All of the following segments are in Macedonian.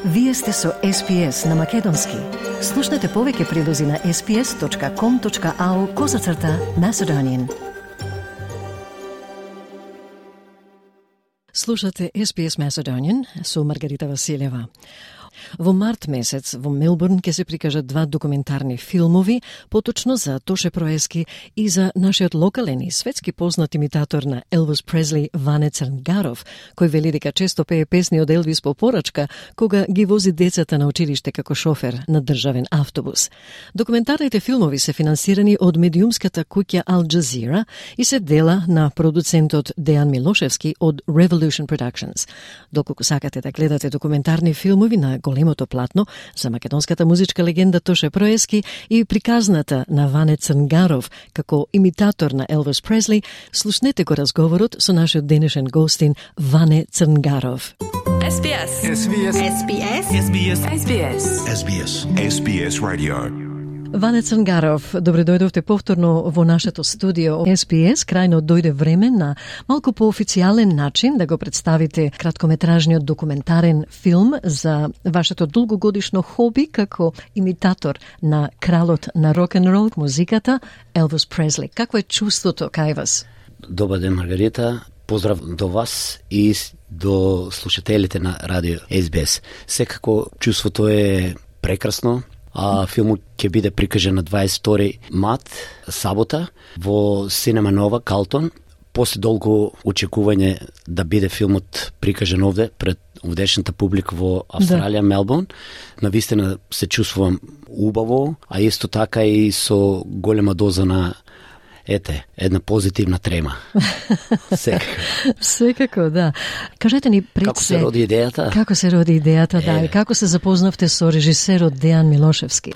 Вие сте со SPS на Македонски. Слушнете повеќе прилози на sps.com.au/Macedonian. Слушате SPS Macedonian со Маргарита Василева. Во март месец во Мелбурн ќе се прикажат 2 документарни филмови, поточно за Тоше Проески и за нашиот локален и светски познат имитатор на Елвис Пресли Ване Црнгаров, кој вели дека често пее песни од Елвис по порачка кога ги вози децата на училиште како шофер на државен автобус. Документарните филмови се финансирани од медиумската куќа Al Jazeera и се дела на продуцентот Дејан Милошевски од Revolution Productions. Доколку сакате да гледате документарни филмови на големото платно за македонската музичка легенда Тоше Проески и приказната на Ване Црнгаров како имитатор на Елвис Пресли, слушнете го разговорот со нашиот денешен гостин Ване Црнгаров. SBS. SBS. SBS. SBS. SBS. SBS. SBS Radio. Ване Црнгаров, добре дојдовте повторно во нашето студио SBS. Крајно дојде време на малку поофицијален начин да го представите краткометражниот документарен филм за вашето долгогодишно хоби како имитатор на кралот на рок-н-рол музиката Елвис Пресли. Какво е чувството кај вас? Добар ден, Маргарита. Поздрав до вас и до слушателите на радио SBS. Секако чувството е прекрасно. Филмот ќе биде прикажен на 22 март, сабота, во Синема Нова, Калтон. После долго очекување да биде филмот прикажен овде, пред овдешната публика во Австралија, Мелбурн. Навистина се чувствувам убаво, а исто така и со голема доза на една позитивна трема. Секако, да. Кажете ни пред Како се роди идејата? Како се роди идејата, да, и како се запознавте со режисерот Дејан Милошевски?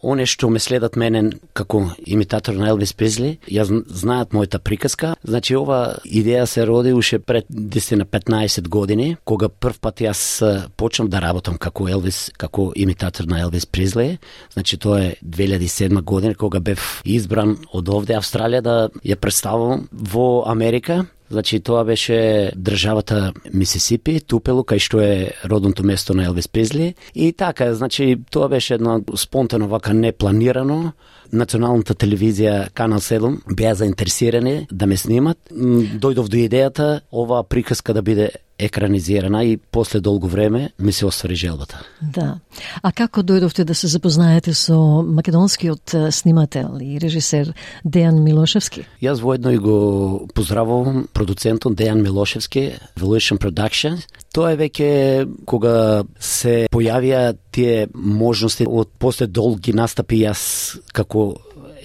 Оне што ме следат мене како имитатор на Елвис Пресли, ја знаат мојата приказка. Значи, ова идеја се роди уште пред 10-15 години, кога прв пат јас почнав да работам како Елвис, како имитатор на Елвис Пресли. Значи, тоа е 2007 година, кога бев избран од овде Австралија да ја представам во Америка. Значи, тоа беше државата Мисисипи, Тупело, кај што е родното место на Елвис Пресли. И така, значи, тоа беше едно спонтано, вака непланирано. Националната телевизија, Канал 7, беа заинтересирани да ме снимат. Дојдов до идејата оваа приказка да биде екранизирана и после долго време ми се оствари желбата. Да. А како дојдовте да се запознаете со македонскиот снимател и режисер Дејан Милошевски? Јас воедно и го поздравувам продуцентот Дејан Милошевски, Revolution Productions. Тоа е веќе кога се појавија тие можности од после долги настапи јас како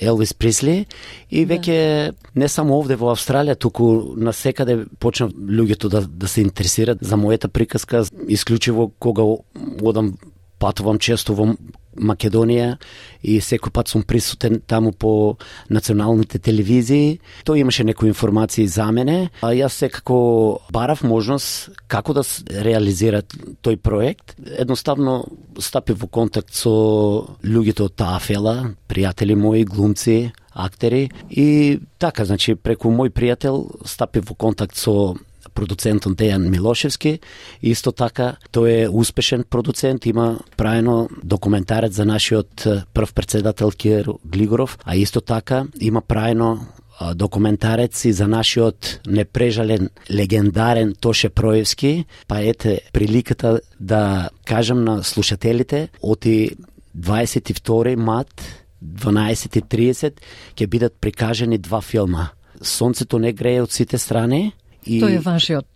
Елвис Пресли и веќе не само овде во Австралија, туку насекаде почнав луѓето да се интересираат за мојата приказка, исклучиво кога одам патувам често во Македонија и секој пат сум присутен таму по националните телевизии. Тој имаше некои информации за мене, а јас секако барав можност како да реализира тој проект. Едноставно стапив во контакт со луѓето од таа фела, пријатели мои, глумци, актери и така, значи преку мој пријател стапив во контакт со продуцентот Дејан Милошевски. Исто така, тој е успешен продуцент, има правено документарец за нашиот прв председател Киро Глигоров, а исто така има правено документарец и за нашиот непрежален, легендарен Тоше Проевски. Па ете приликата да кажам на слушателите, оти 22 март 12:30 ќе бидат прикажани 2 филма. Сонцето не грее од сите страни. И тој е вашиот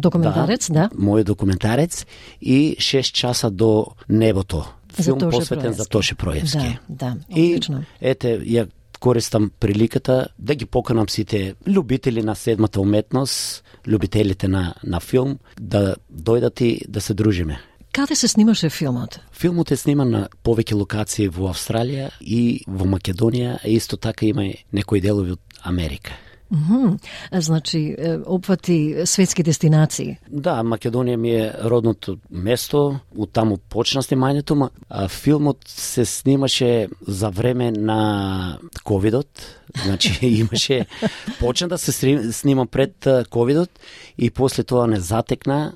документарец, да? Мојот документарец и 6 часа до небото. Филм посветен за Тоше Проевски. Да, одлично. И ете, ја користам приликата да ги поканам сите љубители на седмата уметност, љубителите на филм, да дојдат и да се дружиме. Каде се снимаше филмот? Филмот е сниман на повеќе локации во Австралија и во Македонија, а исто така има и некои делови од Америка. Значи, опфати светски дестинации. Да, Македонија ми е родното место, од таму почна снимањето, а филмот се снимаше за време на ковидот, значи имаше, почна да се снима пред ковидот и после тоа не затекна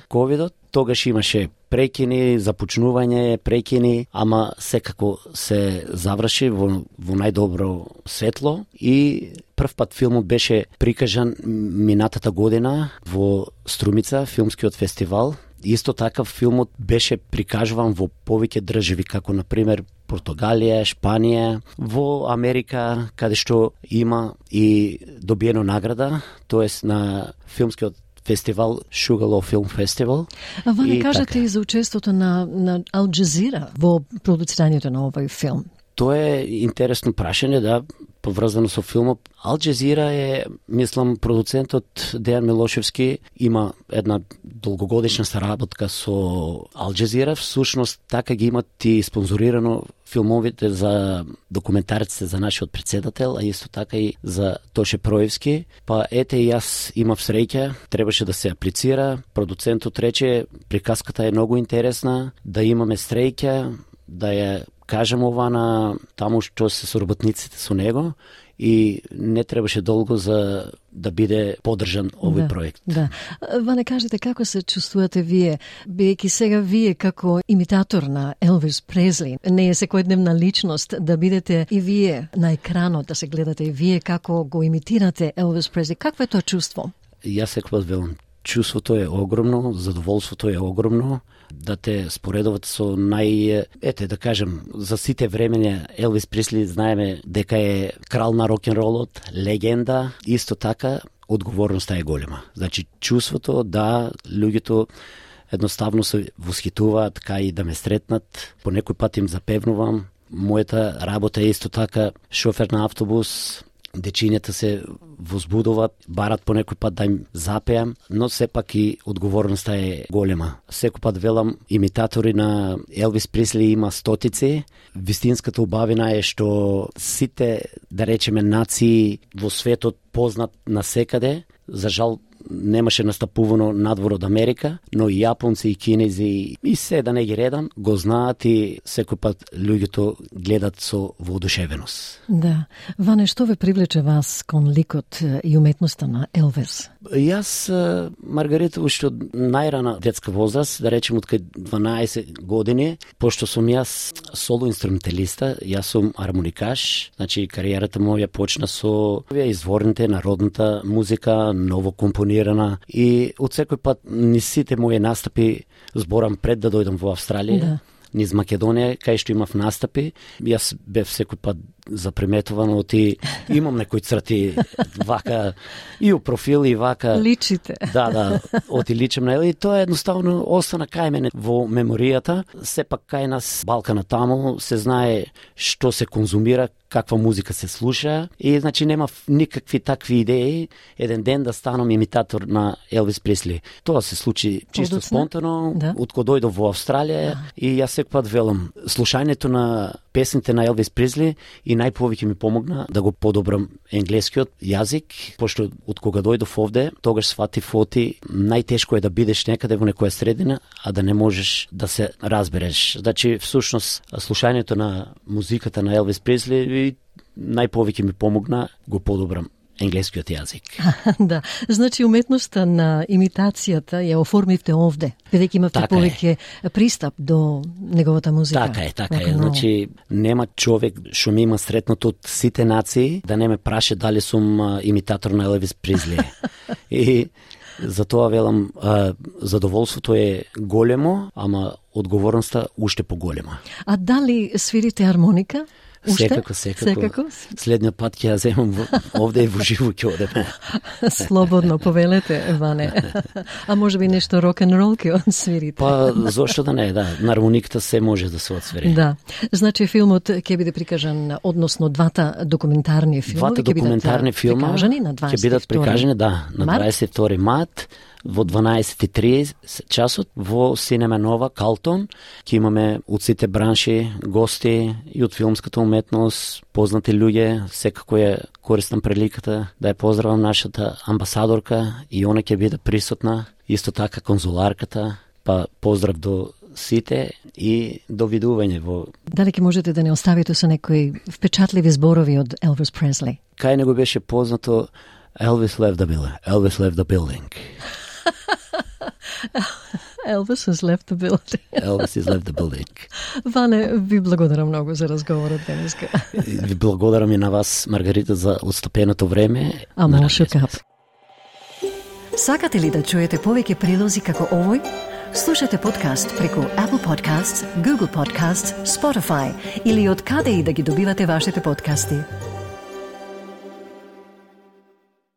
ковидот. Тогаш имаше прекини, започнување, прекини, ама секако се заврши во најдобро светло и прв пат филмот беше прикажан минатата година во Струмица, филмскиот фестивал. Исто така филмот беше прикажуван во повеќе држави, како например Португалија, Шпанија, во Америка, каде што има и добиено награда, тоест на филмскиот фестивал Шугало Филм Фестивал. А ване кажете и за учеството на Ал Джазира во продуцирањето на овој филм. Тоа е интересно прашање, да, поврзано со филмот. Ал Джазира е, мислам, продуцентот Дејан Милошевски има една долгогодишна соработка со Ал Джазира. Всушност, така ги имат и спонзорирано филмовите за документарците за нашиот председател, а исто така и за Тоше Проевски. Па ете и јас имав среќа, требаше да се аплицира. Продуцентот рече, приказката е многу интересна, да имаме среќа, да ја кажем ова на таму што се соработниците со него и не требаше долго за да биде поддржан овој проект. Да. Ване, кажете како се чувствувате вие, бидејќи сега вие како имитатор на Елвис Пресли, не е секојдневна личност, да бидете и вие на екранот, да се гледате и вие како го имитирате Елвис Пресли. Какво е тоа чувство? Јас секогаш велам, чувството е огромно, задоволството е огромно, да те споредуват со ете да кажем, за сите времења Елвис Пресли знаеме дека е крал на рок-н-ролот, легенда, исто така одговорноста е голема. Значи чувството да луѓето едноставно се восхитуваат, така и да ме сретнат, по некој пат им запевнувам. Мојата работа е исто така шофер на автобус, дечињата се возбудуваат, барат по некој пат да им запеам, но сепак и одговорноста е голема. Секој пат велам, имитатори на Елвис Пресли има стотици. Вистинската убавина е што сите, да речеме, нации во светот познат насекаде. За жал, немаше настапувано надвор од Америка, но и јапонци, и кинези, и се да не ги редам, го знаат и секој пат луѓето гледат со воодушевеност. Да. Ване, што ве привлече вас кон ликот и уметноста на Елвис? Јас, Маргарита, уште од најрана детска возраст, да речем од кај 12 години, пошто сум јас соло инструменталиста, јас сум армоникаш, значи кариерата моја почна со изворните народната музика, ново компонирана, и од секој пат низ сите мои настапи, зборам пред да дојдам во Австралија, низ Македонија, кај што имав настапи, јас бев секој пат заприметуван оти, имам некои црти вака и у профил и вака. Личите. Да, оти личам на и тоа едноставно остана кај мене во меморијата. Сепак кај нас Балкана таму се знае што се конзумира, каква музика се слуша и значи нема никакви такви идеи еден ден да станам имитатор на Елвис Пресли. Тоа се случи чисто спонтано, од кога дојдов во Австралија и јас секој пат велам, слушањето на песните на Елвис Пресли и најповеќе ми помогна да го подобрам енглескиот јазик, пошто од кога дојдов овде, тогаш сватив оти најтешко е да бидеш некаде во некоја средина, а да не можеш да се разбереш. Значи, всушност, слушањето на музиката на Елвис Пресли и најповеќе ми помогна го подобрам енглескиот јазик. Да, значи уметноста на имитацијата ја оформивте овде, бидејќи имавте повеќе пристап до неговата музика. Така е. Значи, нема човек што ми има сретнато од сите нации да не ме праше дали сум имитатор на Елвис Пресли. И затоа велам, задоволството е големо, ама одговорноста уште поголема. А дали свирите армоника? Секако. Следниот пат ќе ја земам овде и во живо ќе одеме. Слободно повелете, Ване. А може би нешто рок-н-рол ќе свирите? Па, зошто да не, да. На армониката се може да се отсвири. Да. Значи, филмот ќе биде прикажан, односно двата документарни филми. Двата документарни филма ќе бидат прикажани, на 22 март, во 12:30 часот во Синема Нова Калтон. Ќе имаме од сите бранши гости и од филмската уметност, познати луѓе. Секако ја користам приликата да ја поздравам нашата амбасадорка и она ќе биде присутна, исто така конзуларката. Па поздрав до сите и до видување во... Дали ќе можете да не оставите со некои впечатливи зборови од Елвис Пресли? Кај него беше познато Elvis left the building. Elvis has left the building. Elvis has left the building. Ване, ви благодарам многу за разговорот денеска. Ви благодарам и на вас, Маргарита, за отстапеното време. Шукап. Сакате ли да чуете повеќе прилози како овој? Слушате подкаст преку Apple Podcasts, Google Podcasts, Spotify или од каде и да ги добивате вашите подкасти.